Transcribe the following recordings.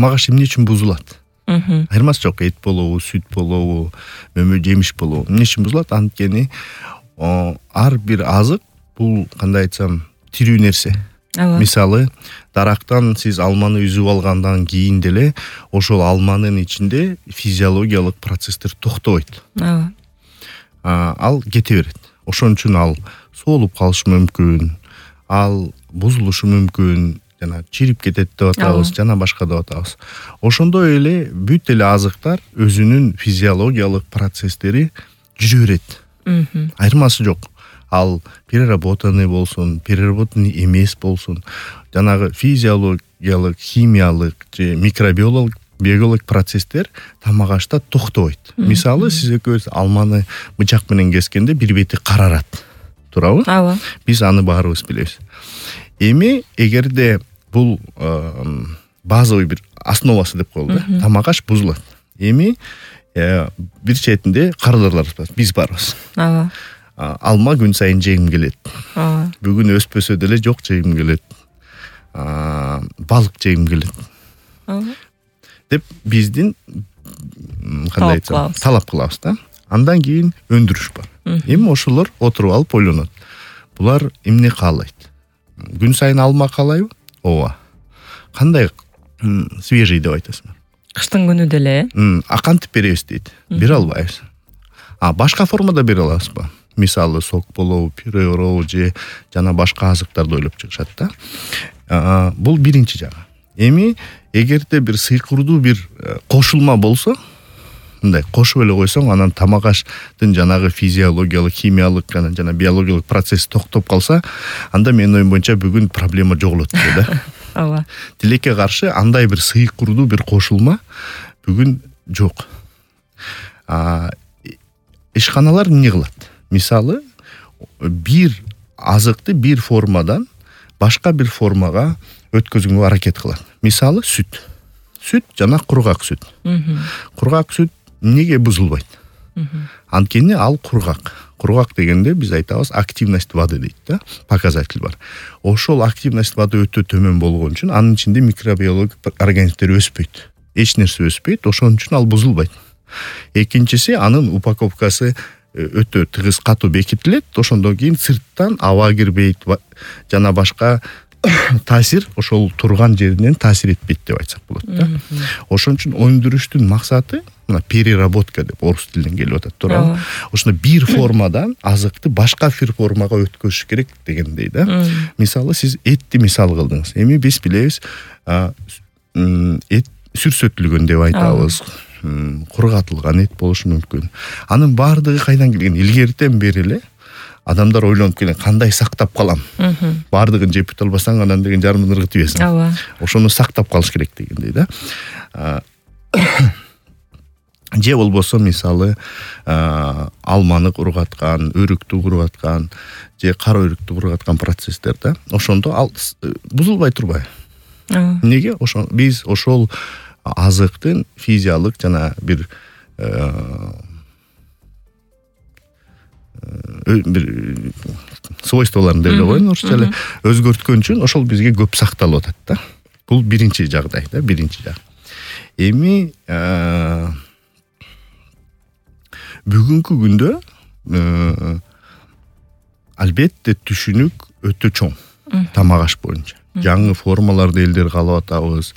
тамак аш эмне үчүн бузулат? Айырмасы жок, эт болобу, сүт болобу, мөмө жемиш болобу. Эмне үчүн бузулат? Анткени ар бир азык бул кандай айтсам, тирүү нерсе. Мисалы, дарактан сиз алманы үзүп алгандан кийин деле ошол алманын ичинде физиологиялык процесстер токтобойт. Ал кете берет. Ошон үчүн ал соолуп калышы мүмкүн, ал бузулушу мүмкүн, жана чирип кетет деп атабыз, жана башка деп атабыз. Ошондой эле бүт эле азыктар өзүнүн физиологиялык процесстери жүрө берет. Айырмасы жок. Ал переработанный болсун, переработанный эмес болсун, жанагы физиологиялык, химиялык же биологиялык процесстер тамак ашта токтобойт. Мисалы, сиз экөөбүз алманы бычак менен кескенде бир бети карарат. Туурабы? Биз аны баарыбыз билебиз. Эми эгерде бул базовый бир основасы деп коелу да, тамак аш бузулат. Эми бир четинде карыдарлар биз барбыз. Алма күн сайын жегим келет. Бүгүн өспөсө деле жок жегим келет. Балык жегим келет. Деп биздин кандай айтсам, талап кылабыз да. Андан кийин өндүрүш бар. Эми ошолор отуруп алып ойлонот. Булар эмне каалайт? Күн сайын алма каалайбы? Ооба. Кандай свежий деп айтасыңар? Кыштын күнү деле. Кантип беребиз дейт. Бере албайбыз. Башка формада бере аласызбы? Мисалы, сок болобу, пюре болобу же жана башка азыктарды ойлоп чыгышат да. Бул биринчи жагы. Эми эгерде бир сыйкырдуу бир кошулма болсо, мындай кошуп эле койсоң, анан тамак аштын жанагы физиологиялык, химиялык жана биологиялык процесс токтоп калса, анда менин оюм боюнча бүгүн проблема жоголот да. Тилекке каршы андай бир сыйкырдуу бир кошулма бүгүн жок. Ишканалар эмне кылат? Мисалы, бир азыкты бир формадан башка бир формага өткөзүүгө аракет кылат. Мисалы, сүт. Сүт жана кургак сүт. Кургак сүт эмнеге бузулбайт? Анткени ал кургак. Кургак дегенде биз айтабыз активность воды дейт да, показатель бар. Ошол активность воды өтө төмөн болгон үчүн анын ичинде микробиологик организмдер өспөйт. Эч нерсе өспөйт, ошон үчүн ал бузулбайт. Экинчиси, анын упаковкасы өтө тыгыз катуу бекитилет, ошондон кийин сырттан аба кирбейт, жана башка таасир ошол турган жеринен таасир этпейт деп айтсак болот да. Ошон үчүн өндүрүштүн максаты мына переработка деп орус тилинен келип атат, туурабы? Ошондо бир формадан азыкты башка бир формага өткөзүш керек дегендей да. Мисалы, сиз этти мисал кылдыңыз. Эми биз билебиз, эт сүрсөтүлгөн деп айтабыз. Кургатылган эт болушу мүмкүн. Анын баардыгы кайдан келген? Илгертен бери эле адамдар ойлонуп келген, кандай сактап калам? Баардыгын жеп бүтө албасаң, анан деген жарымын ыргытып ийесиң. Ошону сактап калыш керек дегендей да. Же болбосо, мисалы, алманы кургаткан, өрүктү кургаткан, же кара өрүктү кургаткан процесстер да. Ошондо ал бузулбай турбайбы? Эмнеге? Биз ошол азыктын физиялык жана бир свойстволорун деп эле коеюн, орусча эле өзгөрткөн үчүн ошол бизге көп сакталып атат да. Бул биринчи жагдай да, биринчи жаг. Эми бүгүнкү күндө албетте түшүнүк өтө чоң тамак аш боюнча. Жаңы формаларды элдер каалап атабыз,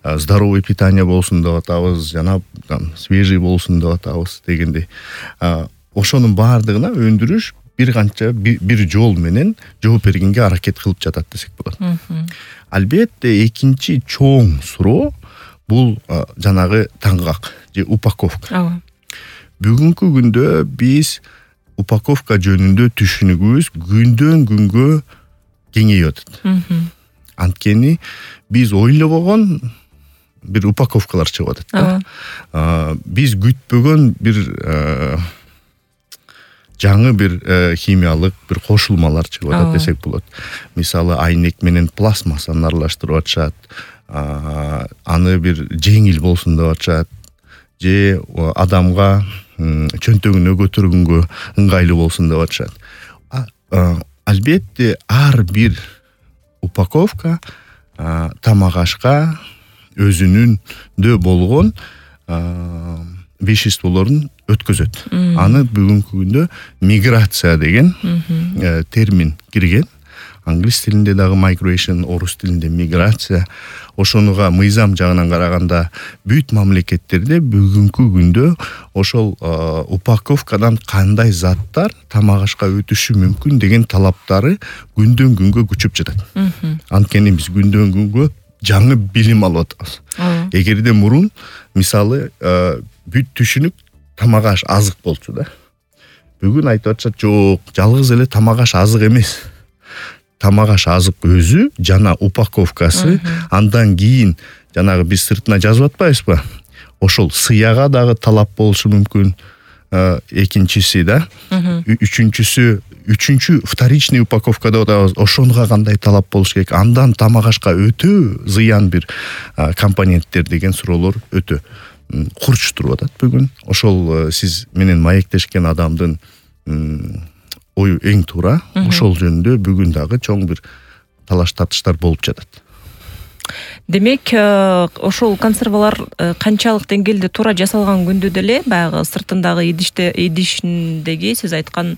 здоровый питание болсун деп атабыз, жана свежий болсун деп атабыз дегендей. Ошонун баардыгына өндүрүш бир канча бир жол менен жооп бергенге аракет кылып жатат десек болот. Албетте экинчи чоң суроо бул жанагы таңгак же упаковка. Бүгүнкү күндө биз упаковка жөнүндө түшүнүгүбүз күндөн күнгө кеңейип атат. Анткени биз ойлобогон бир упаковкалар чыгып атат да. Биз күтпөгөн бир жаңы бир химиялык бир кошулмалар чыгып атат десек болот. Мисалы, айнек менен пластмассаны аралаштырып атышат, аны бир жеңил болсун деп атышат, же адамга чөнтөгүнө көтөргөнгө ыңгайлуу болсун деп атышат. Албетте ар бир упаковка тамак ашка өзүнүндө болгон веществолорун өткөзөт. Аны бүгүнкү күндө миграция деген термин кирген. Англис тилинде дагы migration, орус тилинде миграция. Ошонуга мыйзам жагынан караганда бүт мамлекеттерде бүгүнкү күндө ошол упаковкадан кандай заттар тамак ашка өтүшү мүмкүн деген талаптары күндөн күнгө күчүп жатат. Анткени биз күндөн күнгө жаңы билим алып атабыз. Эгерде мурун мисалы бүт түшүнүк тамак аш азык болчу да. Бүгүн айтып атышат, жок, жалгыз эле тамак аш азык эмес. Тамак аш азык өзү жана упаковкасы, андан кийин жанагы биз сыртына жазып атпайбызбы? Ошол сыяга дагы талап болушу мүмкүн. Экинчиси да, үчүнчү вторичный упаковка деп атабыз. Ошонуга кандай талап болуш керек? Андан тамак ашка өтө зыян бир компоненттер деген суроолор өтө курч туруп атат бүгүн. Ошол сиз менен маектешкен адамдын ою эң туура. Ошол жөнүндө бүгүн дагы чоң бир талаш тартыштар болуп жатат. Демек, ошол консервалар канчалык деңгээлде туура жасалган күндө деле баягы сыртындагы идишиндеги сиз айткан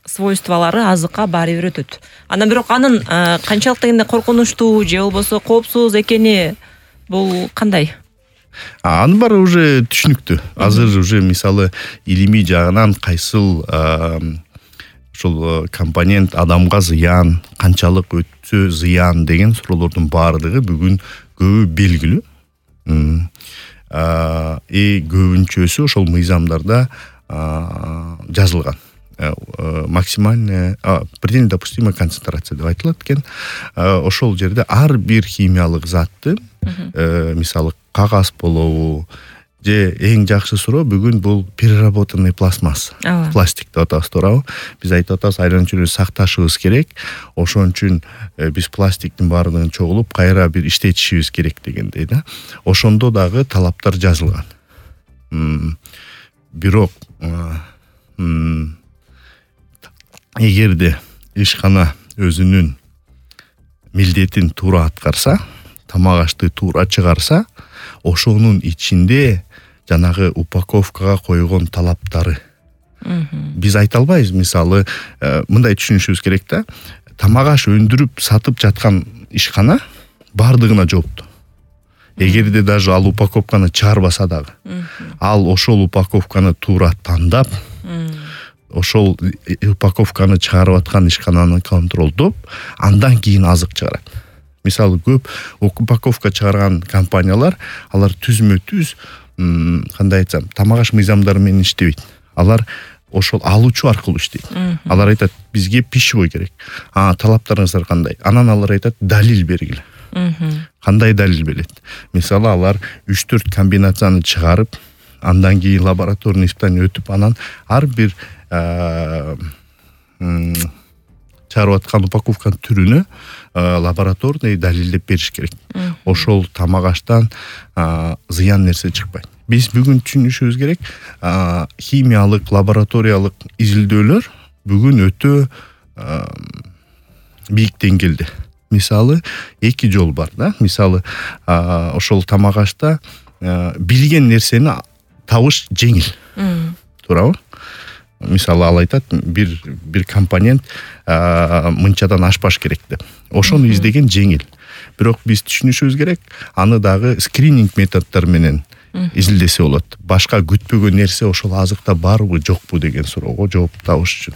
свойстволору азыкка баары бир өтөт. Анан бирок анын канчалык дегенде коркунучтуу же болбосо коопсуз экени бул кандай? Анын баары уже түшүнүктүү. Азыр уже мисалы илимий жагынан кайсыл ошол компонент адамга зыян, канчалык өтсө зыян деген суроолордун баардыгы бүгүн көбү белгилүү. Көбүнчөсү ошол мыйзамдарда жазылган. Максимальная предельно допустимая концентрация деп айтылат экен. Ошол жерде ар бир химиялык затты, мисалы кагаз болобу, же эң жакшы суроо бүгүн бул переработанный пластмасса. Пластик деп атабыз, туурабы? Биз айтып атабыз, айланчаны сакташыбыз керек. Ошон үчүн биз пластиктин баардыгын чогулуп, кайра бир иштетишибиз керек дегендей да. Ошондо дагы талаптар жазылган. Бирок эгерде ишкана өзүнүн милдетин туура аткарса, тамак ашты туура чыгарса, ошонун ичинде жанагы упаковкага койгон талаптары. Биз айта албайбыз, мисалы, мындай түшүнүшүбүз керек да. Тамак аш өндүрүп сатып жаткан ишкана бардыгына жоопту. Эгерде даже ал упаковканы чыгарбаса дагы, ал ошол упаковканы туура тандап, ошол упаковканы чыгарып аткан ишкананы контролдоп, андан кийин азык чыгарат. Мисалы, көп упаковка чыгарган компаниялар, алар түзмө-түз, кандай айтсам, тамак аш мыйзамдары менен иштебейт. Алар ошол алуучу аркылуу иштейт. Алар айтат, бизге пищевой керек. Талаптарыңыздар кандай? Анан алар айтат, далил бергиле. Кандай далил берет? Мисалы, алар 3-4 комбинацияны чыгарып, андан кийин лабораторный испытание өтүп, анан ар бир чыгарып аткан упаковканын түрүнө лабораторный далилдеп бериш керек. Ошол тамак аштан зыян нерсе чыкпайт. Биз бүгүн түшүнүшүбүз керек, химиялык, лабораториялык изилдөөлөр бүгүн өтө бийик деңгээлде. Мисалы, эки жол бар да. Мисалы, ошол тамак ашта билген нерсени табыш жеңил. Туурабы? Мисалы, ал айтат, бир компонент мынчадан ашпаш керек деп. Ошону издеген жеңил. Бирок биз түшүнүшүбүз керек, аны дагы скрининг методдор менен изилдесе болот. Башка күтпөгөн нерсе ошол азыкта барбы, жокпу деген суроого жооп табыш үчүн.